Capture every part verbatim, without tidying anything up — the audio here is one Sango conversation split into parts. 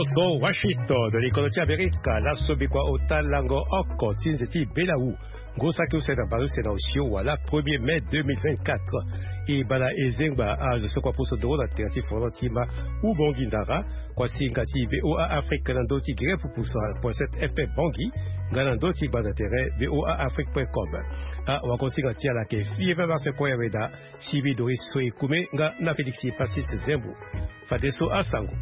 So Washington, likolo ti Amerika, laso bikua ota lango oko ti nze ti belawu. Ngu saki use na baleuse na osio wala premier mai deux mille vingt-quatre. E bala ezengba azo so kua pusu ndoro na tere ti foro ti ma ubongi ndara, kua singa ti VOA Afrique na ndö ti gere pupusu point sept F M Bangui, nga na ndö ti gbanda tere VOA Afrique point com. A wako singa ti ala ke fie pe marse koya weda, sibi Doris Soe Kume nga na Félix Pacis Zembo. Fadeso asango.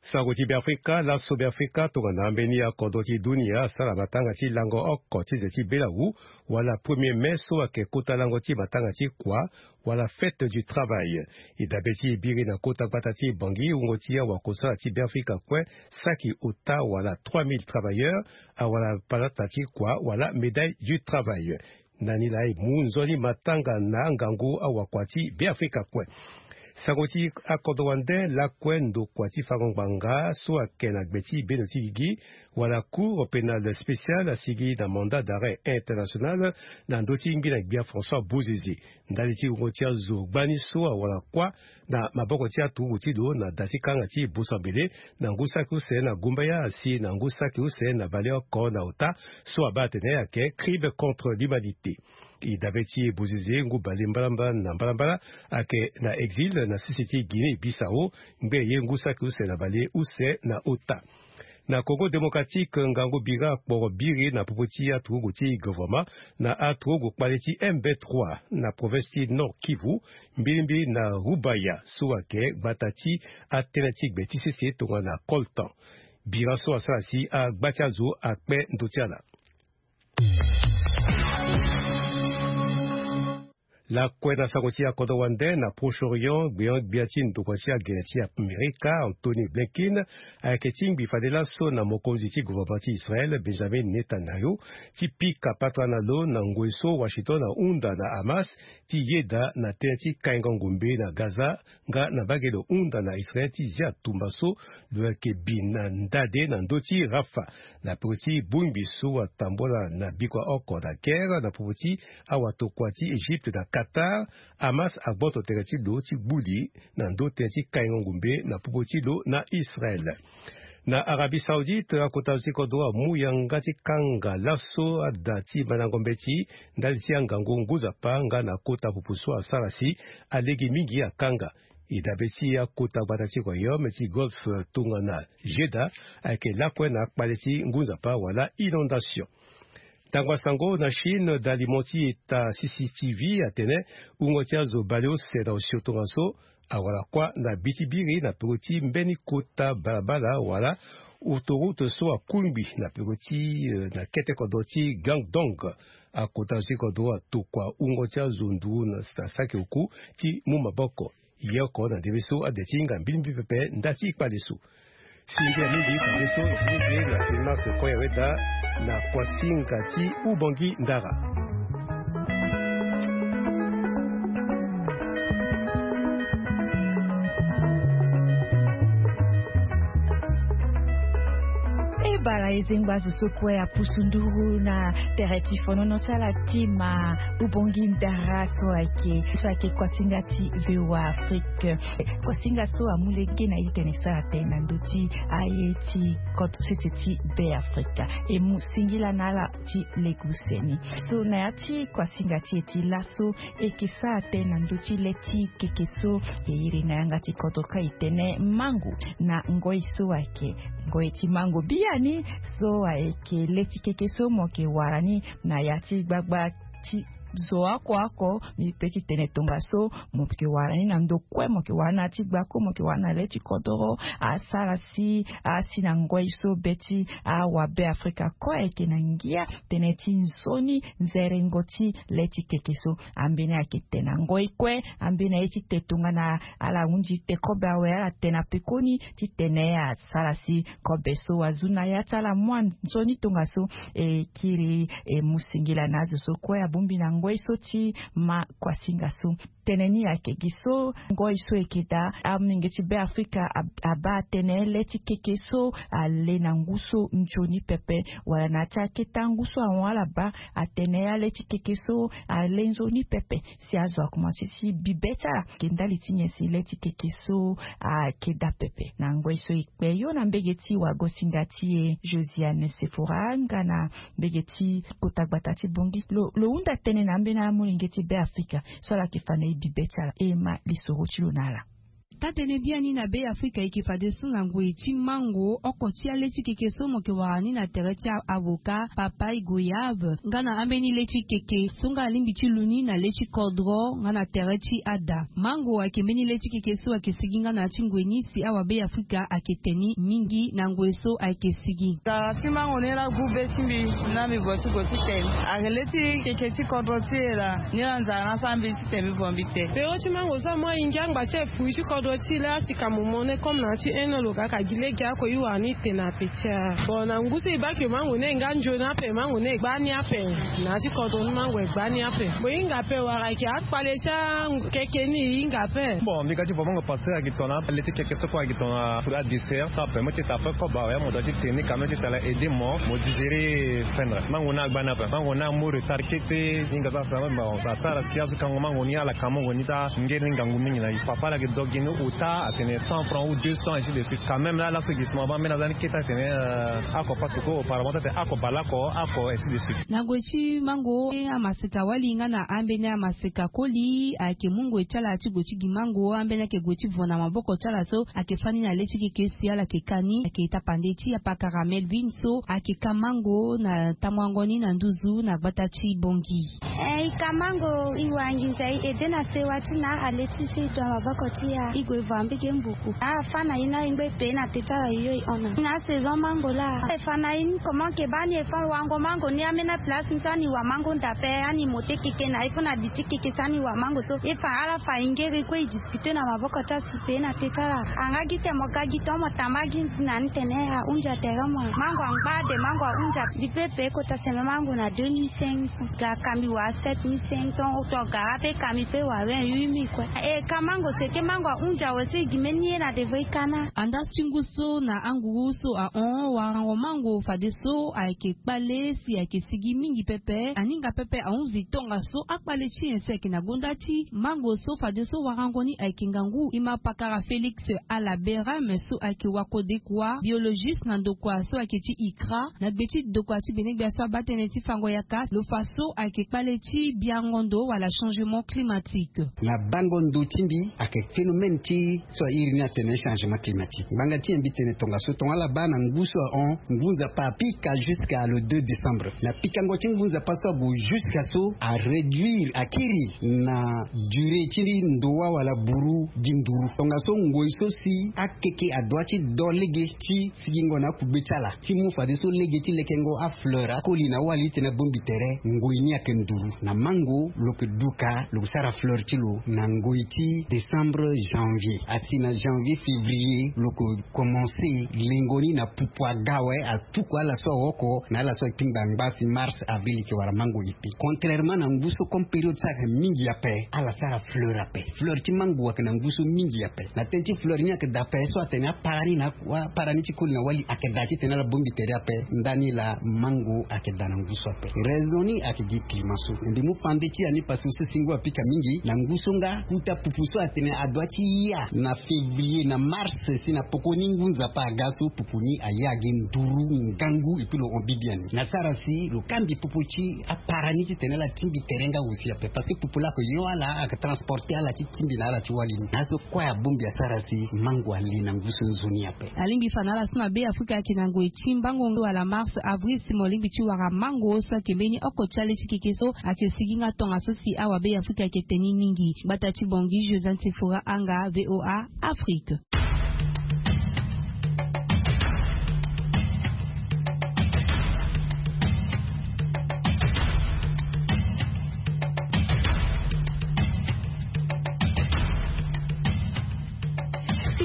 Sango ti Beafrika, laso Beafrika tongana ambeni akodro ti dunia asara matanga ti lango oko ti nze ti belawu, wala premier mai so ayeke kota lango ti matanga ti kua, wala fête du travail. E dabe ti e biri na kota gbata ti Bangui, wungo ti awakosala ti Beafrika kue saki ota wala trois mille travailleurs awara palata ti kua wala médaille du travail. Na ni laa e mu nzoni matanga na angangu awakua ti Beafrika kue. Sango ti akodro wande lakue ndokua ti fango ngbanga so ayeke na gbe ti bendo ti gigi, wala Cour pénale spéciale asigi na mandat d'arrêt international na ndö ti ngbina gbia François Bozizé. Ndali ti wungo ti azo gbani so awara kuâ na maboko ti aturugu ti lo na da ti kanga ti Bosambele, na ngu saki use na Gumbaya si na ngu saki use na baleoko na ota, so abaa atene ayeke crime contre l'humanité. E dabe ti e Bozizé ngu bale mbalambala na mbalambala ayeke na exil na sese ti Guinée Bissau, ngbe ye ngu saki use na bale use na ota. Na Congo Démocratique, ngangu bira akporo biri na popo ti aturugu ti gouvernement na aturugu kpale ti M vingt-trois na province ti Nord Kivu, mbilimbili na Rubaya so ayeke gbata ti atënë ti gbe ti sese tongana coltan. Bira so asara si agba ti azo akpe ndö ti ala. Lakue na sango ti akodro wande na Proche-Orient, gbeon-gbia ti ndokua ti agene ti Amerika, Antony Blinken, ayeke tingbi fade laso na mokonzi ti gouvernement ti Israël, Benjamin Netanyahu, ti pika patara na lo na ngoi so Washington ahunda na Hamas ti yeda na tënë ti kaingo ngombe na Gaza, nga na mbage lo hunda na Israël ti zia tumba so lo yeke bi na ndade na ndö ti Rafah. Na popo ti bongbi so atambola na bikua oko na guerre na popo ti awatokua ti Égypte na Qatar, Hamas agboto tere ti lo ti gbuli na ndö tënë ti kaingo ngombe na popo ti lo na Israël. Na Arabie Saoudite, akota zo ti kodro amu yanga ti kanga laso ada ti mandango mbeti ndali ti angangu ngu nzapa nga na kota pupu so asara si alege mingi akanga. E dabe ti akota gbata ti royaume ti Golfe tongana Jeddah ayeke lakue na akpale ti ngu nzapa wala inondation. Tango asango na Chine, dalimo ti eta C C T V atene wungo ti azo baleuse na osio tongaso awara kuâ na bi ti biri na peko ti mbeni kota balabala wala autoroute so akungbi na peko ti, eh, na kete kodro ti Guangdong. Akota zo ti kodro atokua wungo ti azo nduru na saki oku ti mu maboko. Ye oko na ndembe so ade ti hinga mbilimbili pepe nda ti kpale so. Singia mingi kpale so, singia na filmas koya weda na kuasinga ti Ubongi Ndara. E bala e zengba zo so kue apusu nduru na tere ti fonono ti ala ti ma Ubongi Ndara so ayeke, so ayeke kuasinga ti VOA Afrique. Kuasinga so amu lege na e ti tene e sara tënë na ndö ti aye ti koto sese ti Beafrika. E mu singila na ala ti lege use ni. So na ya ti kuasinga ti e ti laso, e yeke sara tënë na ndö ti le ti keke so e iri na yanga ti kodro kâ e tene mango. Na ngoi so ayeke ngoi ti mango biani, so ayeke le ti keke so mo yeke wara ni na ya ti gbagba ti zo oko oko. Mbi pe ti tene tongaso mo yeke wara ni na ndo kue, mo yeke wara ni na ya ti gbako, mo yeke wara ni na le ti kodoro. Asara si asi na ngoi so be ti awa Beafrika kue ayeke na ngia tënë ti nzoni nzerengo ti le ti keke so. Ambeni ayeke te na ngoi kue, ambeni aye ti te tongana ala hunzi te kobe awe, ala te na pekoni ti tene asara si kobe so azu na ya ti ala mua nzoni tongaso. E kiri e mu singila na azo so kue abongbi na ngoi so ti ma kuasinga so. Tënë ni ayeke gi so ngoi so eke daa amolenge ti Beafrika abaa atene le ti keke so ale na ngu so nzoni pepe, wala na ya ti akete angu so ahon ala baa atene ale ti keke so ale nzoni pepe. Si azo akomanse ti bibe ti ala ayeke ndali ti nyen si le ti keke so ayeke daa pepe? Na ngoi so e kpe yo na mbege ti wagosinga ti e Josiane Sephora nga na mbege ti kota gbata ti Bangui, lo hunda tënë na ambeni amolenge ti Beafrika so ala yeke fa na e bibe ti ala e ma lisoro ti lo na ala. Taa-tënë biani na Beafrika e yeke fadeso na ngoi ti mango oko ti ale ti keke so mo yeke wara ni na tere ti avocat, papaye, goyave nga na ambeni le ti keke so nga alingbi ti lu ni na le ti kodro nga na tere ti ada. Mango ayeke mbeni le ti keke so ayeke sigi nga na ya ti ngoi ni si awabeafrika ayeke te ni mingi na ngoi so ayeke sigi. Tara ti mango ni laa gbu be ti mbi. Na mbi vo ti gue ti te ni ayeke le ti keke ti kodro ti e laa. Ni laa nzara ni asara mbi ti te mbi vo mbi te. Pero ti mango so amu ahingi angba ti e fui ti kodro ti e laa si ka mo mo ne comme na ya ti un an lo ga ka gi lege oko i wara ni te na ape ti a. Bon na ngu so e baa ke mango ni e nga nzoni ape, mango ni e gba ni ape. Na ya ti kodro ni mango e gba ni ape. Mo hinga ape wala ayeke akpale ti akeke ni e hinga ape. Bon mbi ga ti vo mango pasteur ayeke tongana le ti keke so kue ayeke tongana fruit à dessert so apermet ti tara pe koba oya mo doit ti te ni quand même ti tara aider mo mo digérer fendre. Mango ni agba ni ape, mango ni amu retard kete. Hinga so asara asara si azo kango mango ni ala ka mango ni ti angeri ni ngangu mingi na e. Papa ala yeke do gi ni ota atene cent francs ou deux cents, ainsi de suite. Quand même laa laso e gi si mo abaa mbeni aza ni kete atene ako patuko auparavant ti atene ako baleoko ako, ainsi de suite. Na gue ti mango amaseka wali nga na ambeni amaseka koli ayeke mu ngoi ti ala ti gue ti gi mango. Ambeni ayeke gue ti vo na maboko ti ala so ayeke fani na le ti keke si ala yeke ka ni ayeke tapande ti apakara Melvin so ayeke ka mango na tamuango ni na nduzu na gbata ti Bangui. Eh, i ka mango i wara nginza i ede na sewa ti na ale ti so i do na maboko ti ya i gue vo ambege mbuku. Afa na i na i ngbe pe na te ti ala yo i hon na i na asaison mango laa. E fa na i ni comment ke baa ni e fa wango mango ni ambeni aplace ni so ani wara mango nda pe ani mo te keke na i fo na di ti keke so ani wara mango so e fa ala fa i ngeri kue i discuter na maboko ti asi pe na te ti ala. Anga gi te mo ga gi tongo mo tamba gi na ni tene ahunja tere mo mango angba de mango ahunja. Mbi pe pe kota seme mango na deux mille cinq cents. Ga ka mbi wara sept mille cinq cents. Tongara pe ka mbi pe wara vingt-huit mille kue. E ka mango seke mango ahunja awe so e gi mbeni ye na devre i ka na. Andaa ti ngu so na anguru so ahon warango mango fadeso ayeke kpale si ayeke sigi mingi pepe aninga pepe ahunzi tongaso akpale ti nyen si ayeke na gonda ti mango so fadeso warango ni ayeke ngangu. E ma pakara Félix Alaberame so ayeke wakodekua biologiste na ndokua so ayeke ti ikra na gbe ti dokua ti benegbia so abaa tënë ti fango yaka lo fa so ayeke kpale ti biango ndo wala changement climatique. Na bango ndo ti mbi ayeke phénomène ti so a iri ni atene changement climatique ngbanga ti nyen mbi tene tongaso tonga ala baa na ngu so ahon ngu nzapa apika jusqu'à le deux décembre na pikango ti ngu nzapa so ague jusqu'à so aréduire akiri na durée ti ndua wala buru gi nduru. Tongaso ngoi so si akeke adoit ti do lege ti sigingo na akugbe ti ala ti mu fadeso lege ti lekengo afleur akoli na awali ti tene abongbi tere ngoi ni ayeke nduru. Na mango lo yeke duka lo yeke sara fleur ti lo na ngoi ti décembre janvier asi na janvier février lo yeke commencer lengo ni na pupu aga awe apuku ala so aoko na ala so akpingba ngba si mars avril e yeke wara mango. Contrairement na ngu so comme période so ayeke mingi ape ala sara fleur ape. Fleur ti mango ayeke na ngu so mingi ape na tënë ti fleur ni ayeke daa ape so atene apara ni na apara ni ti koli na wali ayeke daa titene ala bongbi tere ape. Ndani laa mango ayeke daa na ngu so ape. Raison ni ayeke gi climat so me mbi mu pande ti ya ni parce que so singo apika mingi na ngu so nga kuta pupu so atene adoit ti ya na février na mars si na poko ni ngu nzapa aga so pupu ni aya gi nduru ngangu epui lo hon bibiani na sara si lo kambi popo ti apara ni titene ala tingbi tere nga aussi ape parce que popo laa ayeke yo ala ayeke transporter ala ti tingbi na ala ti wali ni na aso kue abongbi asara si mango ale na ngu so nzoni ape. Alingbi fa na ala so na be afrika ayeke na ngoi ti mbango wala mars avril si mo lingbi ti wara mango so ayeke mbeni oko ti ale ti keke so ayeke sigi nga tongaso si awabe afrika ayeke te ni mingi. Gbata ti bongi josante fora anga voa afrique.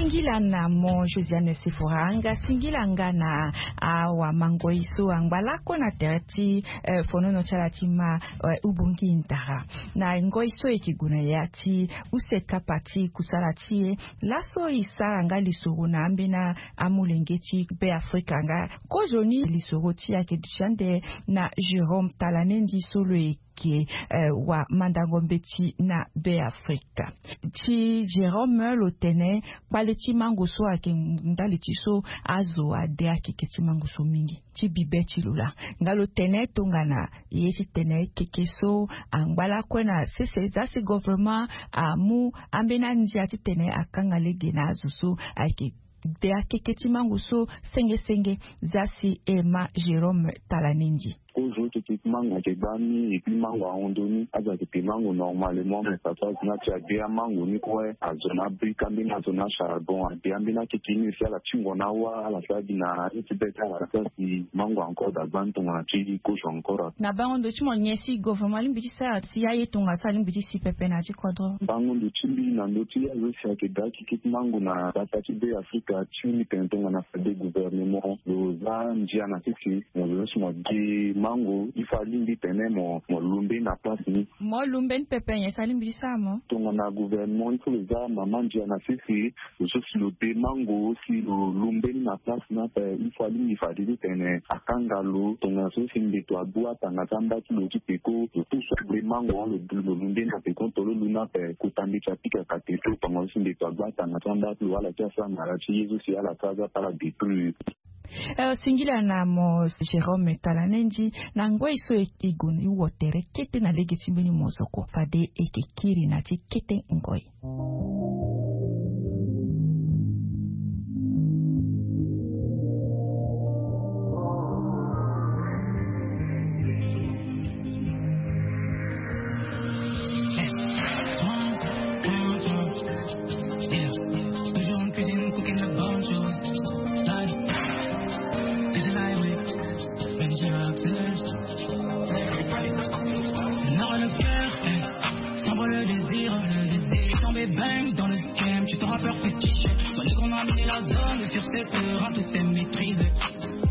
Singila na mo Josiane Sefora, nga singila nga na awa mangoi so angba lakue na tere ti eh, fonono ti ala ti ma eh, ubongi ndara. Na ngoi so e ke gue na ya ti use kapa ti kusala ti e, laso e sara nga lisoro na ambeni amolenge ti Be Afrika nga kozoni lisoro ti e ayeke duti ande na Jérôme Talanendi so lo yeke eh, wa mandango mbeti na Be Afrika. Ti Jérôme lo tene kpale ti mango so ayeke ndali ti so azo ade akeke ti mango so mingi ti bibe ti lo laa. Nga lo tene tongana ye ti tene keke so angba lakue na sese, za si gouvernement amu ambeni andia titene akanga lege na azo so ayeke de akeke ti mango so senge senge. Za si e ma Jérôme Talanendi. Kozo ti keke ti mango ayeke gba ni, et puis mango ahon ndoni. Azo ayeke te mango normalement, mais papa azo ni ati ade amango ni kue azo na brique, ambeni azo na charbon, ade ambeni akeke ni aussi ala tingo na awa, ala sara gi na aye ti be ti ala. Sara si mango encore da gba ni tongana ti kozo encore. Na bango ndo ti mo, nyen si gouvernement alingbi ti sara si aye tongaso alingbi ti si pepe na ya ti kodro? Bango ndo ti mbi na ndö ti azo si ayeke da akeke ti mango na gbata ti Be Afrika, ti mbi tene tongana fade gouvernement lo za ndia na sese, mo zo so si mo gi mango, il faut alingbi tene mo, mo lu mbeni na place ni. Mo lu mbeni pepe, nyen si alingbi ti sara mo? Tongana gouvernement, il faut lo za mama ndia na sese, lo so si lo de mango, si lo lu mbeni na place ni ape, il faut alingbi fade titene akanga lo. Tongana so si mbeto agbu atanga ti amba ti lo ti peko, lo pusu agbu mango, lo, lo lu mbeni na peko, tolo lu ni ape, kota mbeti apika kate so, tongana so si mbeto agbu atanga ti amba ti lo, ala ti asara na ala ti ye so si ala sara za ti ala détruire. Eh, singila na mo Jérôme Talanendi na ngoi so e, e gue ni wo tere kete na lege ti mbeni mozoko. Fade e ke kiri na ti kete ngoi. Yeah, toujours en cuisine, cooking la bonne chose. Live, it's a live, même si je rap seul. Nord le cœur, eh, s'envole le désir, le désir. Tombé bang dans le scam, tu t'en rappelles, petit. Mon négro m'a amené la zone, sur ses sera tout est maîtrisé.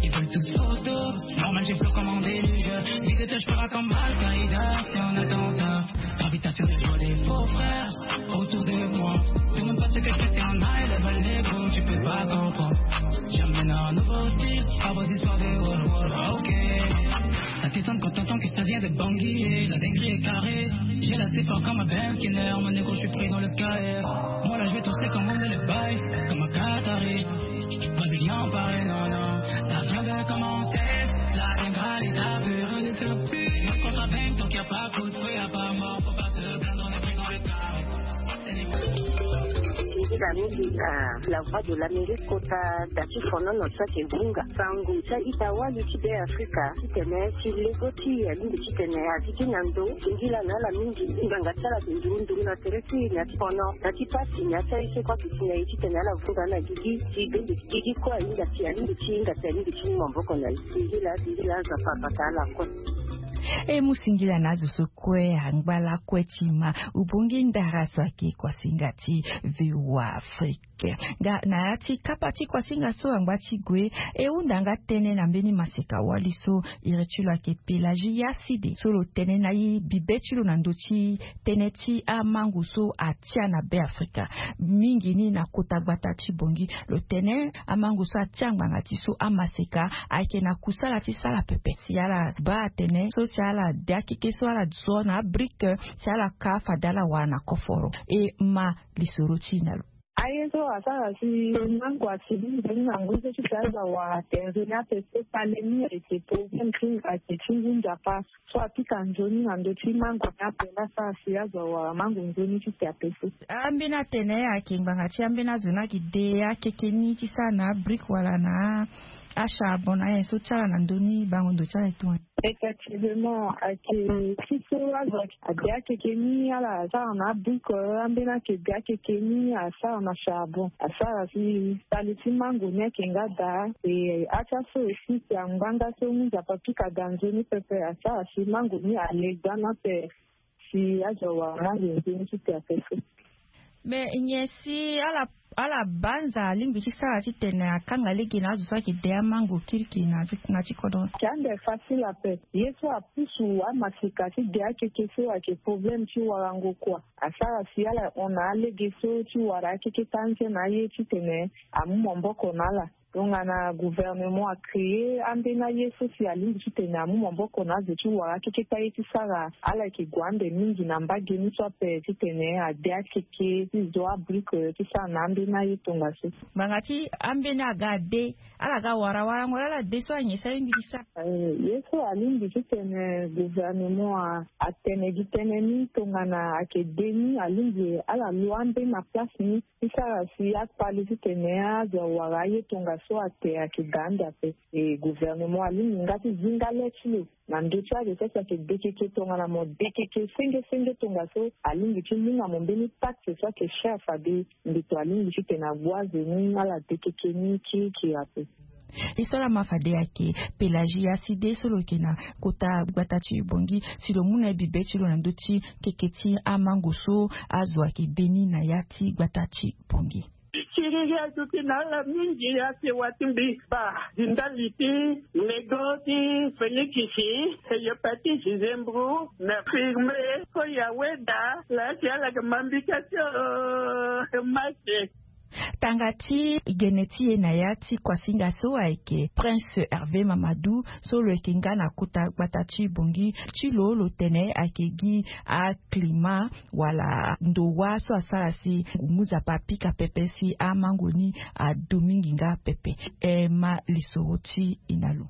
Ils veulent tous photo, normal, j'ai flou comme un déluge. Visite, je pars comme Al-Qaïda, c'est un attentat. Gravitation des jolis faux frères autour de moi. Tout le monde pense que j'étais en high level, négro, tu peux pas comprendre. J'amène un nouveau style à vos histoires de wall wall, ok. Ça t'étonne quand t'entends que ça vient de Bangui, la dinguerie est carrée. J'ai la fort comme un Benz Skinner, mon négro, je suis pris dans le sky. Moi là, je vais tousser comme on met les bails, comme un Qatari. Pas de lien pareil, non, non. Ça vient de commencer, la dinguerie est à faire. Quand ça bang, donc y a pas de fruit à part mort, faut pas se plaindre, on est pris dans le carré. Nzila mingi na La Voix de l'Amérique, kota da ti fonono so ayeke vunga sango ti a-ita wali ti Be Afrika titene ti lego ti e alingbi titene azi ti na ndo. Singila na ala mingi, ngbanga ti ala ayeke nduru nduru na tere ti e, na ti fono, na ti pasi, na ti aye so kue ayeke si na e titene ala vunga na gigi ti bende ti gigi kue ahinga ti, alingbi ti hinga ti, alingbi ti mu maboko na e. Singila, singila, Nzapa abata ala kue. E mu singila na azo so kue angba lakue ti ma ubongi ndara so ayeke kuasinga ti V O A Afrique. Nga na ya ti kapa ti kuasinga so angba ti gue, e hunda nga tënë na mbeni maseka wali so iri ti lo ayeke Pélagie Yaside, so lo tene na e bibe ti lo na ndö ti tënë ti amango so atia na Be Afrika, mingi ni na kota gbata ti Bangui. Lo tene amango so atia ngbanga ti so amaseka ayeke na kusala ti sala pepe. Si ala baa atene so si ala de akeke so ala zo na abrique, si ala ka fade ala wara na koforo. E ma lisoro ti e na lo. Aye so asara si mango ati ni nzoni na ngu so ti si azo awara tere nzoni ape so kpale ni ayeke problème ti, ayeke ti ngu nzapa. So apika nzoni na ndö ti mango ni ape laa asara si azo awara mango nzoni ti si ape so. Ambeni atene ayeke ngbanga ti ambeni azo ni ayeke de akeke ni ti sara na abrique wala na acharbon na ayen so ti ala na ndö ni bango ndo ti ala e tongana. Effectivement, ayeke ti so azo ade akeke ni ala asara na abrique, ambeni ayeke de akeke ni asara na charbon. Asara si kpale ti mango ni ayeke nga daa. E, atia so aussi si angba nga so ngu nzapa pika daa nzoni pepe, asara si mango ni alegba ni ape. Si azo awara mango nzoni ti si ape so. Mais nyen si ala Ala banza alingbi ti sara titene akanga lege na azo so ayeke de amango kirikiri na ti kodro. Ande facile ape. Ye so apusu amasika ti de akeke so ayeke problème ti warango kua. Asara si ala hon na alege so ti wara akeke tanze na aye titene amu maboko na ala. Tongana gouvernement acree ambeni aye so si alingbi titene amu maboko na azo ti wara akeke ti aye ti sara, ala yeke gue ande mingi na mbage ni so ape titene ade akeke ti zo abrique ti sara na ambeni aye tongaso. Ngbanga ti ambeni aga ade, ala ga wara warango laa ala de so anyen so alingbi ti sara. Ye so alingbi titene gouvernement atene gi tënë ni, tongana ayeke de ni alingbi ala lo ambeni na place ni ti sara si akpale titene azo awara aye tongaso ate ayeke ga ande ape. E gouvernement alingbi nga ti zi nga le ti lo na ndö ti azo so si ayeke dekeke tongana mo dekeke senge senge tongaso, alingbi ti mu nga mo mbeni pacte so ayeke cher fade mbeto alingbi titene agbu azo ni ala dekeke ni kirikiri ape. E so ala ma fade ayeke Pelagie Aside so lo yeke na kota gbata ti Bangui, si lo mu na ye bibe ti lo na ndö ti keke ti amango so azo ayeke de ni na ya ti gbata ti Bangui. Kiriri azo ti na ala mingi asewa ti mbi, ba, di ndali ti nego ti Félix, e yo pati Gisembro na firme, ko ya weda la si ala yeke ma mbi ka ti o mase. Tanga ti gene ti e na ya ti kuasinga so ayeke Prince Hervé Mamadou so lo yeke nga na kota gbata ti Bangui ti lo, lo tene ayeke gi aclimat wala ndo wâ so asara si ngu ngu nzapa apika pepe si amango ni adu mingi nga pepe. E ma lisoro ti e na lo.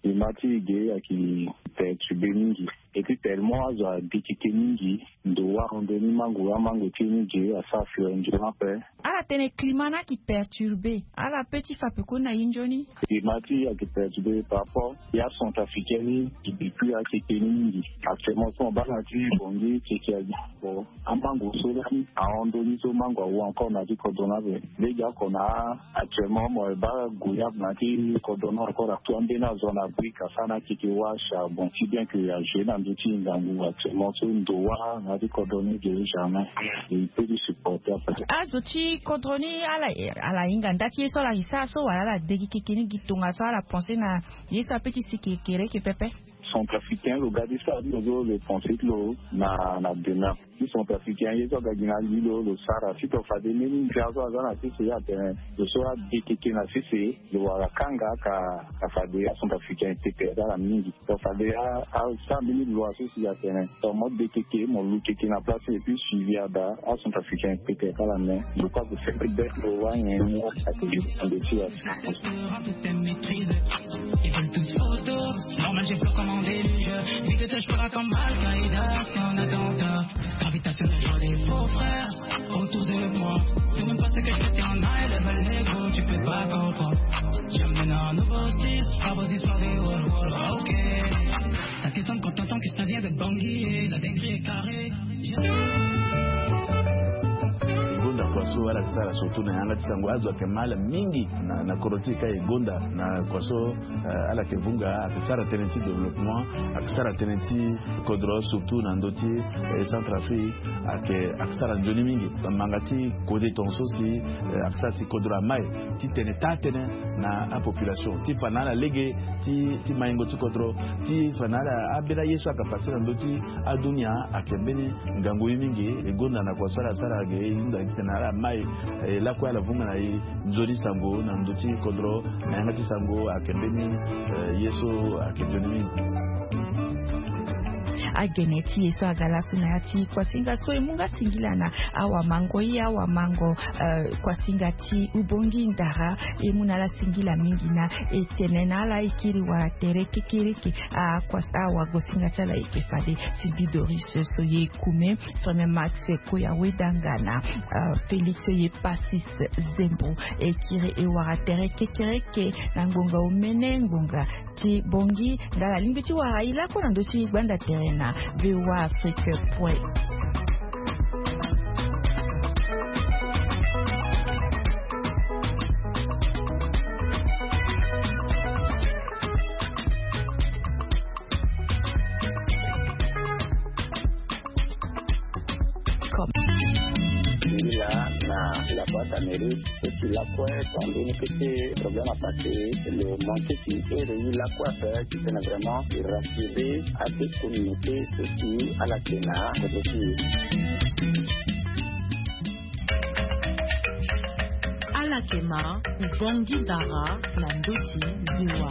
Climat ti e ge ayeke perturbé mingi. Et puis tellement azo adekeke mingi, ndo wâ ndo ni mango, amango ti e ni ge asara fleur nzoni ape. Ala tene climat ni ayeke perturbé, ala peut ti fa pekoni na e nzoni. Climat ti e ayeke perturbé par rapport ya centrafricain ni, depuis akeke ni mingi. Actuellement so mo baa na ya ti Bangui keke agi. Bon, amango so lani ahon ndo ni so mango awu encore na ya ti kodro ni ape. Lege oko na actuellement mo baa goyave na ya ti kodro ni encore, tout ambeni azo na brique asara na akeke wâ, charbon, si bien que ajoue na ndö ti ngangu actuellement so ndo wâ na ya ti kodro ni ge jamais. E peut ti supporter ape. Azo ti kodro ni ala, ala hinga nda ti ye so ala iri sara so wala ala degi keke ni gi tongaso ala pensé na ye so apeut ti si kekereke pepe. Centrafricain lo ga ti sara ti lo so lo pensé ti lo na, na demeure. Ti centrafricain ye so aga gi na li lo, lo sara si to fade mbeni ndia so aza na sese atene lo so ade keke na sese lo wara kanga ka, ka fade acentrafricain pepe asara mingi. To fade a, asara mbeni loi so si atene to mo de keke mo lu keke na place et puis suivi ada, acentrafricain pepe asara mais lo kue azo sempre bête lo wâ nyen ni ake gi ande ti ya. Ils veulent tous photo. Normal, j'ai peur comme un déluge. Vite, je pars comme Al-Qaïda. C'est un attentat. Gravitation de joie des faux frères autour de moi. Demande pas ce que je fais, t'es en high level, négro, tu peux pas comprendre. J'ai amené un nouveau style, à vos histoires de wall, wall, ok. Ça t'étonne quand t'entends que ça vient de Bangui, la dinguerie est carrée. Gonda kua so ala yeke sara surtout na yanga ti sango, azo ayeke ma ala mingi na, na kodro ti e ka e gonda na kua so, eh, ala yeke vunga, ayeke sara tënë ti développement, ayeke sara tënë ti kodro surtout na ndö ti, eh, Centrafrique, ayeke, ayeke sara nzoni mingi. Manga ti kode tongaso si, eh, ayeke sara si kodro amai titene taa tënë na apopulation ti fa na ala lege ti, ti maingo ti kodro, ti fa na ala ambeni aye so ayeke passé na ndö ti adunia ayeke mbeni ngangu ye mingi. E gonda na kua so ala sara ge e hinga titene ala mai, eh, lakue ala vunga na e nzoni sango na ndö ti kodro na yanga ti sango ayeke mbeni, eh, ye so ayeke nzoni mingi. Agene ti e so aga laso na ya ti kuasinga so e mu nga singila na awamango ye awamango, eh, kuasinga ti Ubongi Ndara, e mu na ala singila mingi na e tene na ala e kiri wala tere kekereke, ah, kuas-, awagosinga ti ala e yeke fade. Sylvie Doris so ye kume, Premier Max Koya Wedanga na, ah, Félix ye Passis Zembo. E kiri e wara tere kekereke na ngonga omene ngonga ti Bangui. Nga ala lingbi ti wara e lakue na ndö ti gbanda tere na V O A Afrique point. Comme. Là, là, là. Boîte à mairie, so si lakue, quand on est que problème à passer, le manque qui est de lakue à faire, qui est vraiment de rassurer à cette communauté, so si à la Kena, côté qui. Ala yeke ma, Ubangui Dara, na ndoti ziwa.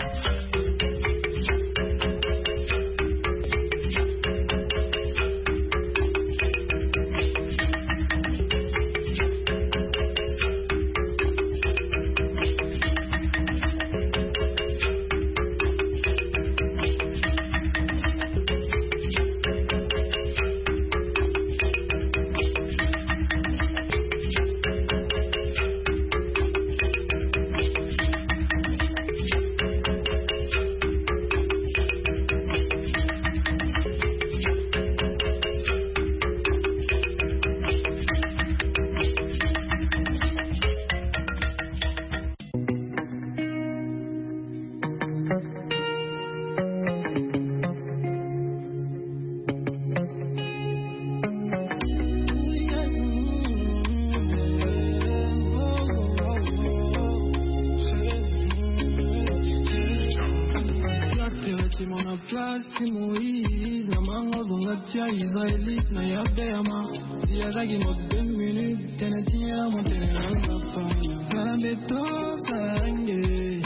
Place ti Moïse, na mango zonga tia Israélite na yabe ya ma. Ti azaki mo deux minutes, tene ti ya mo tene na nzapa. Kana beto sange.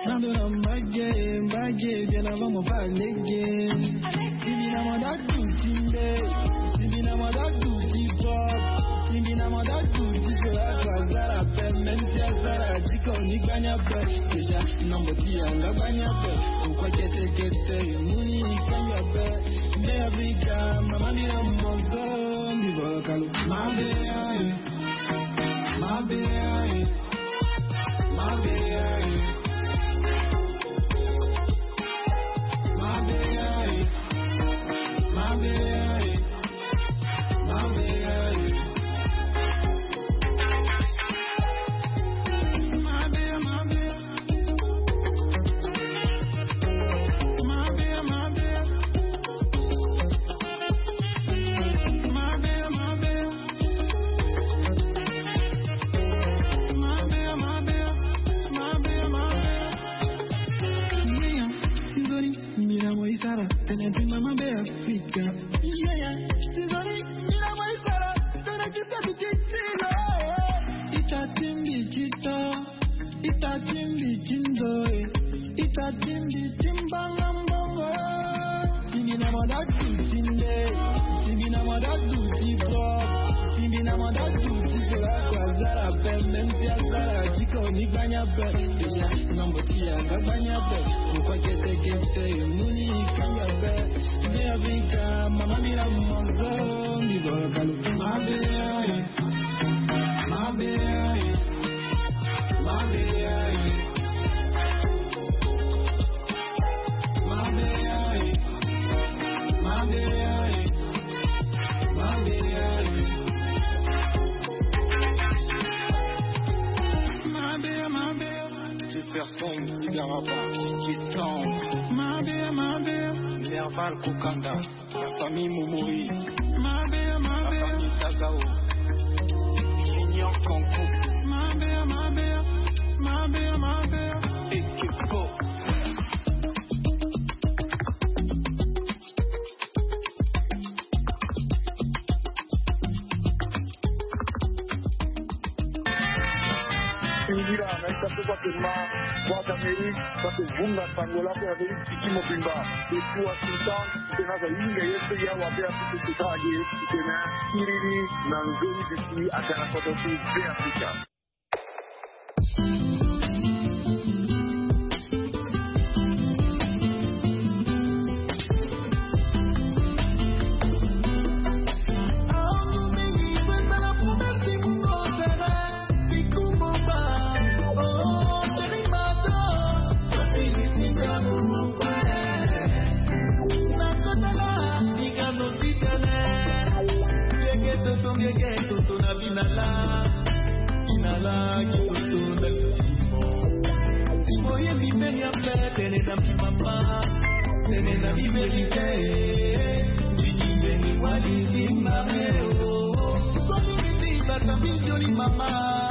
Nando na mbage, mbage, bien avant mo fa lege. Tibi na mo da tu tinde. Tibi na mo da tu ti pop. Tibi na mo da tu ti sola kwa zara pe. Même si azara ti ko ni gbanya pe. Déjà, nombo ti ya nga gbanya pe. Pourquoi kete kete, muni kanya pe. Mbe Afrika, mama mi na mozo, mi bolo kalu. Mabe ya, eh. Mabe ya, eh. Mabe ya, eh. Mabe ya, eh. Mabe ya, eh. Mabe ya, eh. Mabe ya, mabe ya. Mira, mo isara, tene ti mama be Afrika. Yeah, yeah. Ti zori, mira, mo isara, tene ti tabi ti tino. Ita timbi tito. Ita timbi tindo, eh. Ita timbi timbanga mbongo. Timbi na mada tu tinde. Timbi na mada tu tipo. Timbi na mada tu tipo. Kwa zara pe, même si azara ti ko ni gbanya pe. Déjà, nombo ti ya nga gbanya pe. Pourquoi kete kete, muni kanga pe. Mbe Afrika, mama mi na mozo, mi bolo kalu. Mabe ya, eh. Jefferson Sigaraba, Kiton. Nerval Kokanda. La famille Momori. Mabe ya, mabe ya. La famille Tagao. Junior Kanku. Mabe ya, mabe ya. Mabe ya, mabe ya. Ekipo. Ingira na ita so kua ke ma Voix d'Amérique, kua ke vunga sango lako ya Amérique tiki mobimba. Depuis Washington, tena za yinga ye so ya wa be Afrika tena age, tena kiriri na nzoni bisi agana koto ti be Afrika. Toto na binala, binala kitoto na bitimo. Timo ye bibeni ape, tene na bimama, tene na biverite. Bikindeni wali timame o. Soni bibi Bata mi joli mama.